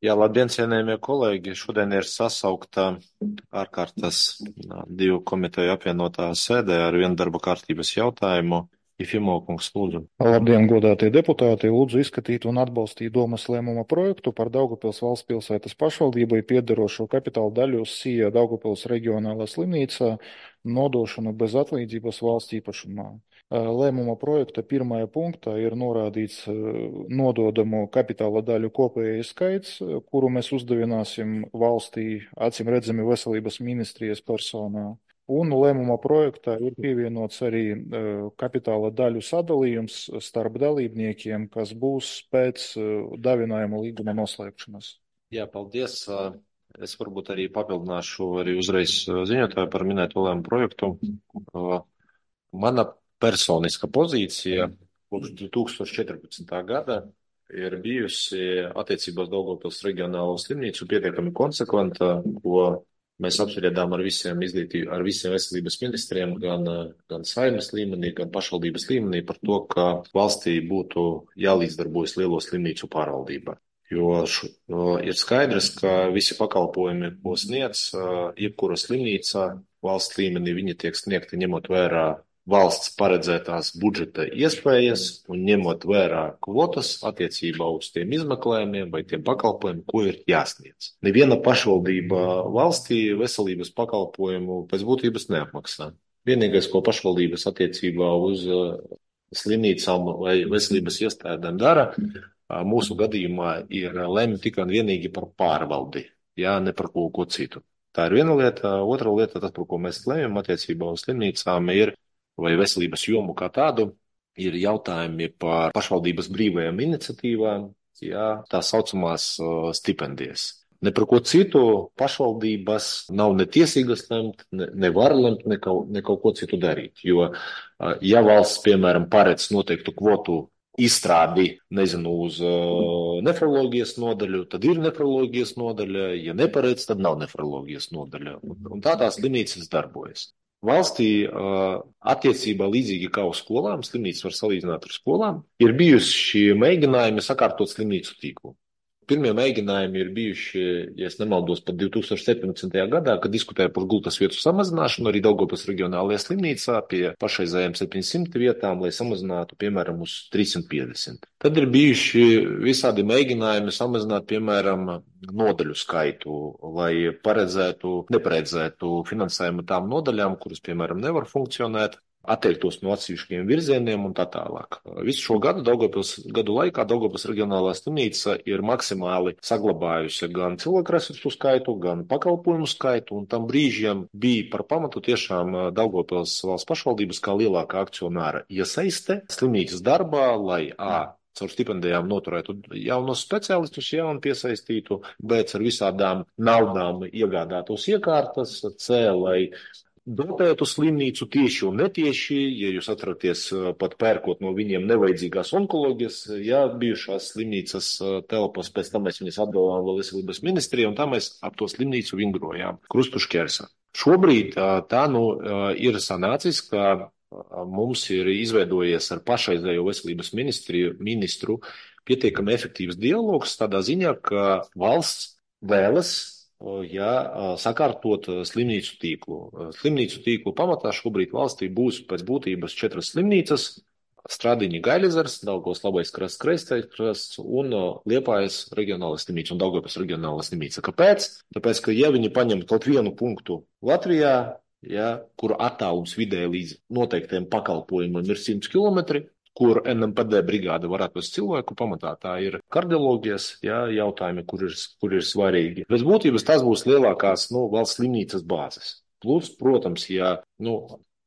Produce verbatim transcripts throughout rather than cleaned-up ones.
Jā, labdien, cienējamie kolēģi! Šodien ir sasaukta ārkārtas divu komiteju apvienotā sēdē ar vienu darba kārtības jautājumu. Ifimo kungs, lūdzu. Labdien, godātie deputāti! Lūdzu izskatīt un atbalstīt domas lēmuma projektu par Daugavpils valsts pilsētas pašvaldībai piederošo kapitāla daļu Sija Daugavpils reģionālā slimnīcā nodošanu bez atlīdzības valsts īpašumā. Lēmuma projekta pirmajā punktā ir norādīts nododamo kapitāla daļu kopējais skaits, kuru mēs uzdevināsim valstī acīm redzami veselības ministrijas personā. Un lēmuma projektā ir pievienots arī kapitāla daļu sadalījums starp dalībniekiem, kas būs pēc dāvinājuma līguma noslēgšanas. Jā, paldies. Es varbūt arī papildināšu arī uzreiz ziņotāju par minēto lēmumu projektu. Mana personiska pozīcija kopš divi tūkstoši četrpadsmitā gada ir bijusi attiecībā uz Daugavpils reģionālo slimnīcu pietiekami konsekventa, ko mēs apspriedām ar visiem izglītību, ar visiem veselības ministriem, gan, gan saimnes līmenī, gan pašvaldības līmenī par to, ka valstī būtu jālīdzdarbojas lielo slimnīcu pārvaldībā. Jo š, ir skaidrs, ka visi pakalpojumi, ko sniedz jebkura slimnīca valsts līmenī, viņi tiek sniegti ņemot vērā valsts paredzētās budžeta iespējas un ņemot vērā kvotas attiecībā uz tiem izmeklējumiem vai tiem pakalpojumiem, ko ir jāsniedz. Neviena pašvaldība valstī veselības pakalpojumu pēc būtības neapmaksā. Vienīgais, ko pašvaldības attiecībā uz slimnīcām vai veselības iestādēm dara, mūsu gadījumā ir lemj tikai un vienīgi par pārvaldi, jā, ne par ko, ko citu. Tā ir viena lieta. Otra lieta, tas, par ko mēs lemjam attiecībā uz slimnīcām, ir vai veselības jomu kā tādu, ir jautājumi par pašvaldības brīvajām iniciatīvām, jā, tā saucamās uh, stipendijas. Ne par ko citu pašvaldības nav ne tiesīgas lemt, ne, ne var lemt, ne kaut, ne kaut ko citu darīt. Jo, uh, ja valsts, piemēram, paredz noteiktu kvotu izstrādi, nezinu, uz uh, nefroloģijas nodaļu, tad ir nefroloģijas nodaļa, ja neparedz, tad nav nefroloģijas nodaļa. Un, un tā tās slimnīcas darbojas. Valstī attiecībā līdzīgi kā uz skolām, slimnīcas var salīdzināt ar skolām, ir bijuši mēģinājumi sakārtot slimnīcu tīklu. Pirmie mēģinājumi ir bijuši, ja es nemaldos, pat divi tūkstoši septiņpadsmitajā gadā, kad diskutēja par gultas vietu samazināšanu arī Daugavpils reģionālajā slimnīcā pie pašreizējām septiņsimt vietām, lai samazinātu, piemēram, uz trīssimt piecdesmit. Tad ir bijuši visādi mēģinājumi samazināt, piemēram, nodaļu skaitu, lai paredzētu, neparedzētu finansējumu tām nodaļām, kuras, piemēram, nevar funkcionēt, atteiktos no atsevišķiem virzieniem un tā tālāk. Visu šo gadu, Daugavpils gadu laikā, Daugavpils reģionālā slimnīca ir maksimāli saglabājusi gan cilvēku resursu skaitu, gan pakalpojumu skaitu, un tam brīžiem bija par pamatu tiešām Daugavpils valsts pašvaldības kā lielākā akcionāra iesaiste slimnīcas darbā, lai A. caur stipendijām noturētu jaunos speciālistus, jaunu piesaistītu, B. ar visādām naudām iegādātos iekārtas, C. lai dotētu slimnīcu tieši un netieši, ja jūs atraties pat pērkot no viņiem nevajadzīgās onkoloģijas, ja bijušās slimnīcas telpas, pēc tam mēs viņas atdevām vēl veselības ministrijai, un tā mēs ap to slimnīcu vingrojām, krustu šķērsā. Šobrīd tā nu ir sanācis, ka mums ir izveidojies ar pašreizējo veselības ministriju, ministru pietiekami efektīvs dialogs tādā ziņā, ka valsts vēlas ja sakārtot slimnīcu tīklu. Slimnīcu tīklu pamatā šobrīd valstī būs pēc būtības četras slimnīcas - Stradiņa Gaļezers, Daugavas Labais krasts, Kreistais krasts un Liepājas reģionālā slimnīca un Daugavas reģionālā slimnīca. Kāpēc? Tāpēc, ka ja viņi paņem kaut vienu punktu Latvijā, ja, kur attālums vidēji līdz noteiktiem pakalpojumiem ir simts kilometri, kur N M P D brigāde var atvest cilvēku, pamatā tā ir kardioloģijas jā, jautājumi, kur ir, kur ir svarīgi. Pēc būtības tas būs lielākās nu, valsts slimnīcas bāzes. Plus, protams, ja nu,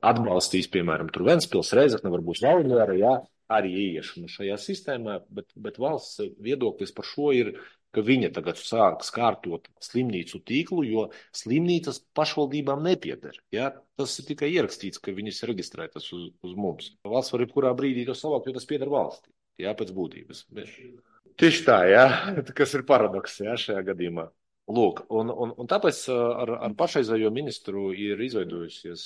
atbalstīs, piemēram, tur Ventspils, Reizekne, varbūt Valmiera, jā, arī ieiešana šajā sistēmā, bet, bet valsts viedoklis par šo ir, ka viņa tagad sāks kārtot slimnīcu tīklu, jo slimnīcas pašvaldībām nepieder. Ja? Tas ir tikai ierakstīts, ka viņas ir reģistrētas uz, uz mums. Valsts var jebkurā brīdī to savākt, jo tas pieder valstī, ja? Pēc būtības. Bet... Tieši tā, ja? Kas ir paradoks ja? Šajā gadījumā. Lūk, un, un, un tāpēc ar, ar pašreizējo ministru ir izveidojusies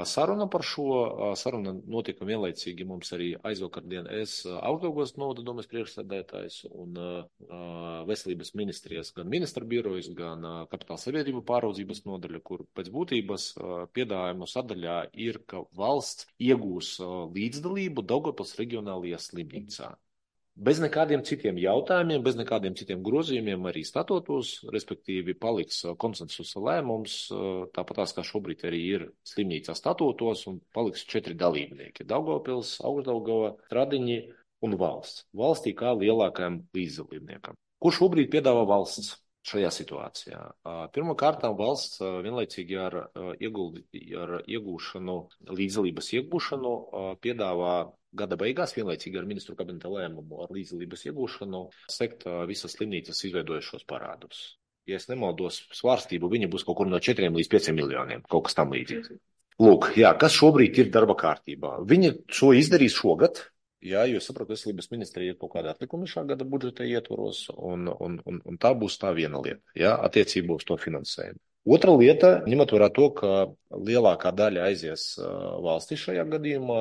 saruna par šo. Saruna notika vienlaicīgi mums arī aizvakardien. Es Augstdaugavas novada domes priekšsēdētājs un veselības ministrijas gan ministra birojas, gan kapitāla sabiedrību pāraudzības nodaļa, kur pēc būtības piedāvājumu sadaļā ir, ka valsts iegūs līdzdalību Daugavpils reģionālajā slimnīcā. Bez nekādiem citiem jautājumiem, bez nekādiem citiem grozījumiem arī statutos, respektīvi paliks konsensusa lēmums, tāpatās kā šobrīd arī ir slimnīcā statutos, un paliks četri dalībnieki - Daugavpils, Augstdaugava, Stradiņi un valsts. Valstī kā lielākajam līdzdalībniekam. Ko šobrīd piedāvā valsts šajā situācijā? Pirmkārt, valsts vienlaicīgi ar, ieguldi, ar iegūšanu, līdzdalības iegūšanu piedāvā gada beigās, vienlaicīgi ar ministru kabineta lēmumu ar līdzdalības iegūšanu, sekt visas slimnīcas izveidojušos parādus. Ja es nemaldos svārstību, viņa būs kaut kur no četriem līdz pieciem miljoniem, kaut kas tam līdzīgs. Lūk, jā, kas šobrīd ir darba kārtībā? Viņa šo izdarīs šogad, jā, jo sapratu, veselības ministrija ir kaut kādā atlikumi šā gada budžeta ietvaros, un, un, un, un tā būs tā viena lieta, jā, attiecībā uz to finansējumu. Otra lieta, ņemot vērā to, ka lielākā daļa aizies valstī šajā gadījumā,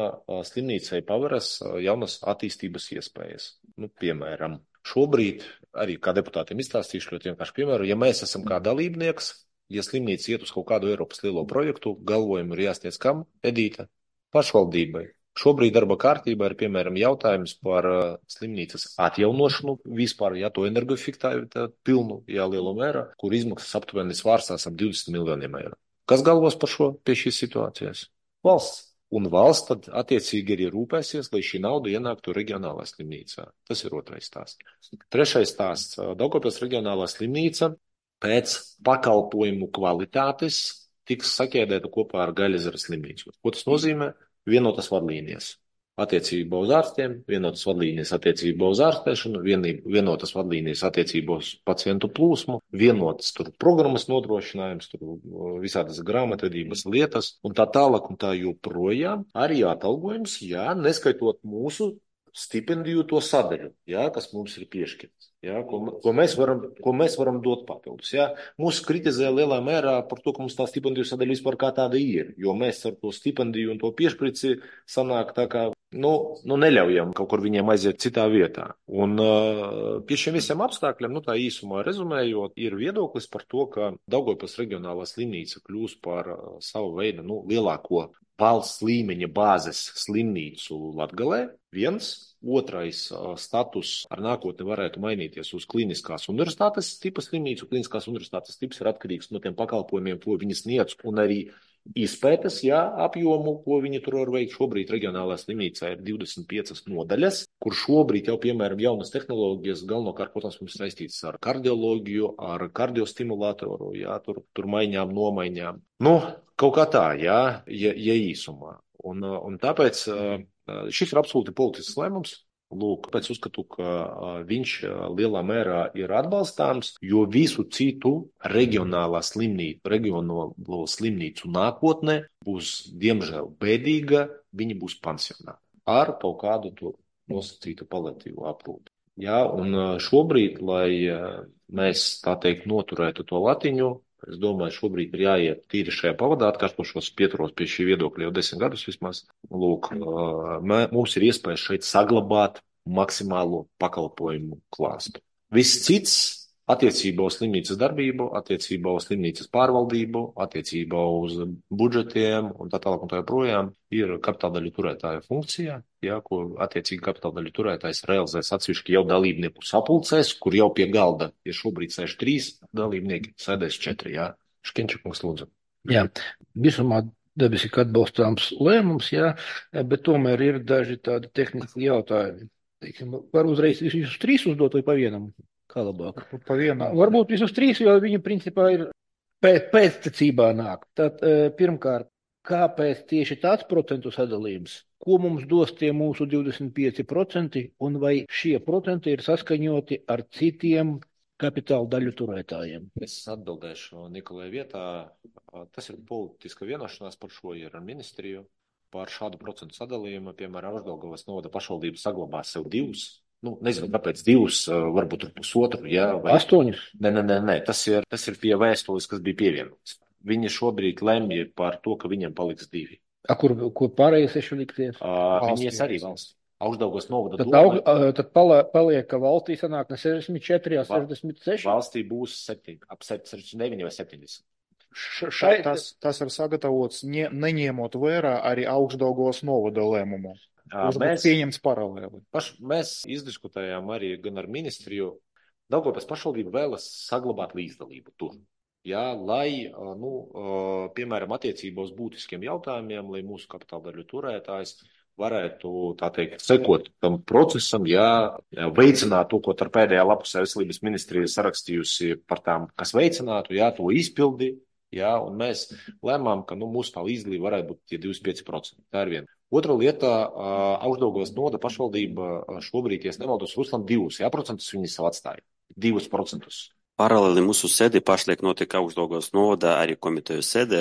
slimnīcai paveras jaunas attīstības iespējas. Nu, piemēram, šobrīd arī kā deputātiem izstāstīšu ļoti vienkārši piemēru, ja mēs esam kā dalībnieks, ja slimnīca iet uz kaut kādu Eiropas lielo projektu, galvojumu ir jāsniedz kam, Edīta? Pašvaldībai. Šobrīd darba kārtībā ir, piemēram, jautājums par uh, slimnīcas atjaunošanu vispār, ja to energoefektivitāti pilnu, jā, lielu mērā, kur izmaksas aptuveni svārstās ap divdesmit miljoniem eiro. Kas galvos par šo pie šīs situācijas? Valsts. Un valsts tad attiecīgi arī rūpēsies, lai šī nauda ienāktu reģionālā slimnīcā. Tas ir otrais stāsts. Trešais stāsts. Daugavpils reģionālā slimnīca pēc pakalpojumu kvalitātes tiks saķēdēta kopā ar Gaļezeres slimnīcu. Ko tas nozīmē? Vienotas vadlīnijas attiecībā uz ārstiem, vienotas vadlīnijas attiecībā uz ārstēšanu, vienotas vadlīnijas attiecībā uz pacientu plūsmu, vienotas tur programmas nodrošinājums, tur visādas grāmatvedības lietas un tā tālāk un tā joprojām. Arī atalgojums, jā, neskaitot mūsu stipendiju to sadaļu, jā, kas mums ir piešķirts, jā, ko, ko, mēs varam, ko mēs varam dot papildus. Jā. Mūs kritizē lielā mērā par to, ka mums tā stipendiju sadaļa vispār kā tāda ir, jo mēs ar to stipendiju un to piešprici sanāk tā kā, nu, nu neļaujam kaut kur viņiem aiziet citā vietā. Un uh, pie šiem visiem apstākļiem, nu tā īsumā rezumējot, ir viedoklis par to, ka Daugavpils reģionālā slimnīca kļūs par uh, savu veidu, nu, lielāko valsts līmeņa bāzes slimnīcu Latgalē. Viens, otrais status ar nākotni varētu mainīties uz kliniskās universitātes tipa slimnīcu. Kliniskās universitātes tips ir atkarīgs no tiem pakalpojumiem, ko viņi sniedz, un arī izpētes, jā, apjomu, ko viņi tur var veikt. Šobrīd reģionālā slimnīcā ir divdesmit piecas nodaļas, kur šobrīd jau, piemēram, jaunas tehnoloģijas galvenokārt, protams, mums saistītas ar kardioloģiju, ar kardiostimulātoru, jā, tur, tur maiņām, nomaiņām. Nu, kaut kā tā, jā, ja, ja īsumā. Un, un tāpēc šis ir absolūti politisks lēmums. Lūk, pēc uzskatu, ka viņš lielā mērā ir atbalstāms, jo visu citu reģionālā slimnīcu, reģionālo slimnīcu nākotnē būs, diemžēl, bēdīga, viņi būs pansionā ar kaut kādu to nosacītu paliatīvu aprūpi. Jā, un šobrīd, lai mēs, tā teikt, noturētu to latiņu, es domāju, šobrīd ir jāiet tīri šajā pavadā, atkārtošos pieturos pie šī viedokļa jau desmit gadus vismaz. Lūk, mums ir iespēja šeit saglabāt maksimālo pakalpojumu klāstu. Viss cits attiecībā uz slimnīcas darbību, attiecībā uz slimnīcas pārvaldību, attiecībā uz budžetiem un tā tālāk un tā joprojām ir kapitāldaļu turētāja funkcija, jā, ko attiecīgi kapitāldaļu turētājs realizēs atsevišķi jau dalībnieku sapulcēs, kur jau pie galda ir šobrīd sēž trīs dalībnieki, sēdēs četri, jā. Škenčakungs, lūdzu. Jā, visumā dabiski atbalstāms lēmums, jā, bet tomēr ir daži tādi tehniski jautājumi. Teiksim, var uzreiz visus trīs uzdot vai pa vienam? Kā labāk? Pa vienam. Varbūt visus trīs, jo viņi principā ir pēc, pēctecībā nāk. Tad pirmkārt, kāpēc tieši tāds procentu sadalījums? Ko mums dos tie mūsu divdesmit pieci procenti un vai šie procenti ir saskaņoti ar citiem kapitāla daļu turētājiem? Es atbildēšu Nikolai vietā. Tas ir politiska vienošanās par šo ir ar ministriju. Par šādu procentu sadalījumu, piemēram, Augstdaugavas novada pašvaldība saglabās sev divus, nu, nezinu, kāpēc divus, varbūt tur pusotru, jā, vai... Astoņus? Nē, nē, nē, nē, tas ir, tas ir pie vēstules, kas bija pievienots. Viņi šobrīd lemj par to, ka viņiem paliks divi. A, kur, kur pārējie seši likties? Uh, viņi ies arī valsts. Augstdaugavas novada Tad, doma. aug, tad paliek, ka valstī sanāk ne sešdesmit četri, ja sešdesmit seši? Valstī būs septiņi, ap sešdesmit deviņi vai septiņdesmit. Šai... Tas, tas ir sagatavots ne, neņemot vērā arī Augstdaugavas novada lēmumu. Kurš mēs, pieņemts paralēli. Paš, mēs izdiskutējām arī gan ar ministriju. Daugavpils pašvaldība vēlas saglabāt līdzdalību tur. Jā, lai, nu, piemēram, attiecībā uz būtiskiem jautājumiem, lai mūsu kapitāla daļu turētājs varētu, tā teikt, sekot tam procesam, jā, veicināt to, ko ar pēdējā lapusē veselības ministrija sarakstījusi par tām, kas veicinātu, jā, to izpildi, jā, un mēs lēmām, ka, nu, mūsu tā līdzdalība varētu būt tie divdesmit pieci procenti. Tā ir viena. Otra lieta, Augstdaugavas novada pašvaldība šobrīd, ja nemaldos, Ruslan divus, jā, procentus viņi savu atstāja. Divus procentus. Paralēli mūsu sēdē pašlaik notiek Augstdaugavas novada arī komiteju sēdē.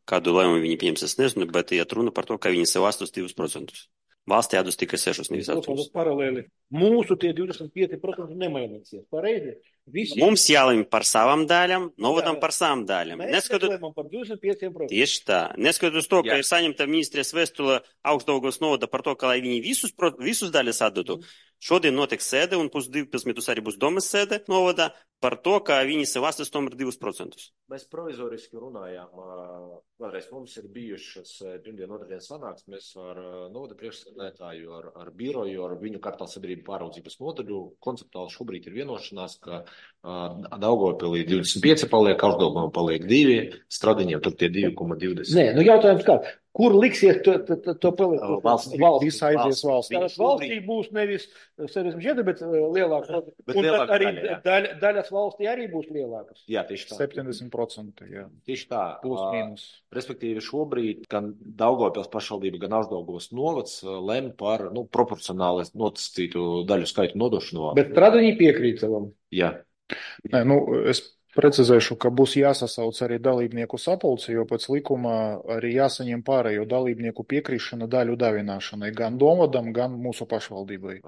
Kādu lēmumu viņi pieņems, es nezinu, bet iet runa par to, ka viņi sev astos divus procentus. Valstī atdos tikai sešus, nevis astoņus. Paralēli. Mūsu tie divdesmit pieci procenti nemainīsies. Pareizi? Visi... Mums jālemj par savām daļām, novadam par savām daļām. Mēs Neskatut... lēmām par divdesmit pieciem procentiem. Tieši tā. Neskatoties uz to, ka Jā. ir saņemta ministrijas vēstule Augstdaugavas novada par to, ka lai viņi visus, visus daļas atdotu. Šodien notiks sēde un pus divpadsmitus arī būs domas sēde novada par to, ka viņi sev astos tomēr divus procentus. Mēs provizoriski runājām, vēlreiz mums ir bijušas pirmdien, otrdien sanāksmes ar novada priekšsēdētāju, ar, ar biroju, ar viņu kapitāla sabiedrību pāraudzības nodaļu. Konceptuāli šobrīd ir vienošanās, ka Daugavpilī divdesmit pieci paliek, Augstdaugavā paliek divi, Stradiņiem tur tie divi komats divdesmit. Nē, nu jautājums kā, kur liksies to, to, to, to palikt? Valstī. Viss aizies valstī. Tātad valstī būs nevis sešdesmit četri, bet lielāks. Bet un lielāka arī daļa, jā. daļa, daļas valstī arī būs lielākas. Jā, tieši tā. septiņdesmit procenti, jā. Tieši tā. Plus mīnus. Respektīvi šobrīd gan Daugavpils pašvaldība, gan Augstdaugavas novads lem par, nu, proporcionāli notascītu daļu skaitu nodošanu. Bet Stradiņi piekrīt savam. Jā. Nē, nu, es precizēšu, ka būs jāsasauc arī dalībnieku sapulce, jo pēc likuma arī jāsaņem pārējo dalībnieku piekrišana daļu davināšanai, gan domvadam, gan mūsu pašvaldībai.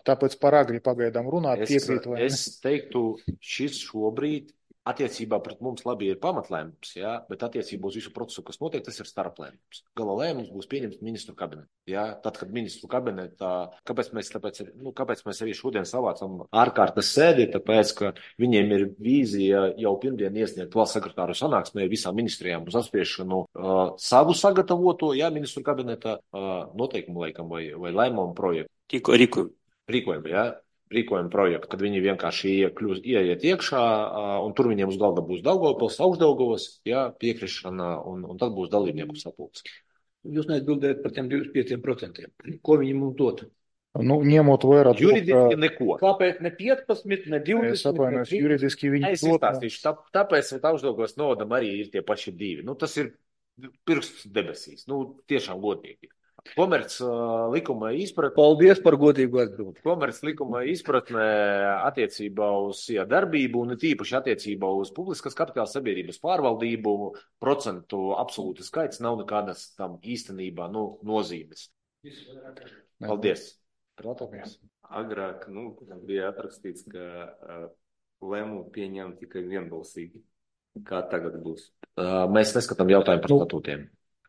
Tāpēc par agri pagaidām runāt, Es, piekrīt vai ne? es teiktu, šis šobrīd attiecībā pret mums labi ir pamatlēmums, jā, bet attiecībā uz visu procesu, kas notiek, tas ir starplēmums. Gala lēmums būs pieņemts ministru kabinetā. Jā, tad, kad ministru kabinetā, kāpēc mēs, tāpēc, nu, kāpēc mēs arī šodien savācam ārkārtas sēdi, tāpēc, ka viņiem ir vīzija jau pirmdien iesniegt valsts sekretāru sanāksmē visām ministrijām uz apspriešanu uh, savu sagatavoto, jā, ministru kabinetā uh, noteikumu laikam vai, vai lēmumu projektu. Tikko rīkojumu. Rīkojumu, jā. Rīkojumu projektu, kad viņi vienkārši iekļūs, ieiet iekšā, un tur viņiem uz galda būs Daugavpils, Augstdaugavas, jā, piekrišana, un, un tad būs dalībnieku sapulce. Jūs neatbildējat par tiem divdesmit pieciem procentiem. Ko viņi mums dod? Nu, ņemot vērā to, Juridiski ka... neko. Kāpēc ne piecpadsmit, ne divdesmit? Es atvainojos, juridiski viņi Es dod- izstāstīšu, tā, tāpēc Augstdaugavas novadam arī ir tie paši divi. Nu, tas ir pirksts debesīs, nu, tiešām godīgi. Komerc uh, likuma izpratne. Paldies par godīgu atbildi. Komerc likuma izpratnē attiecībā uz jā, darbību un tīpaši attiecībā uz publiskas kapitāla sabiedrības pārvaldību procentu absolūti skaits nav nekādas tam īstenībā nu, nozīmes. Paldies. Protams. Agrāk nu, bija atrakstīts, ka uh, lēmumu pieņem tikai vienbalsīgi. Kā tagad būs? Uh, mēs neskatām jautājumu par Nu, statūtiem.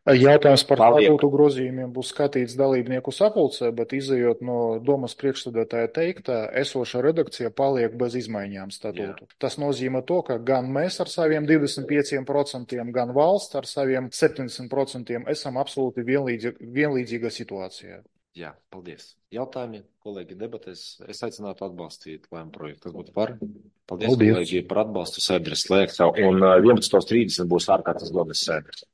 Jautājums par Paldies. statūtu grozījumiem būs skatīts dalībnieku sapulcē, bet izējot no domas priekšsēdētāja teiktā, esoša redakcija paliek bez izmaiņām statūtu. Jā. Tas nozīmē to, ka gan mēs ar saviem divdesmit pieciem procentiem, gan valsts ar saviem septiņdesmit procentiem esam absolūti vienlīdzi, vienlīdzīga situācijā. Jā, paldies. Jautājumi, kolēģi, debatēs. Es aicinātu atbalstīt lēmumu projektu. Tas būtu par. Paldies, Paldies. kolēģi, par atbalstu. Sēde ir slēgta. Un vienpadsmit trīsdesmit būs ārkārtas domas sēde.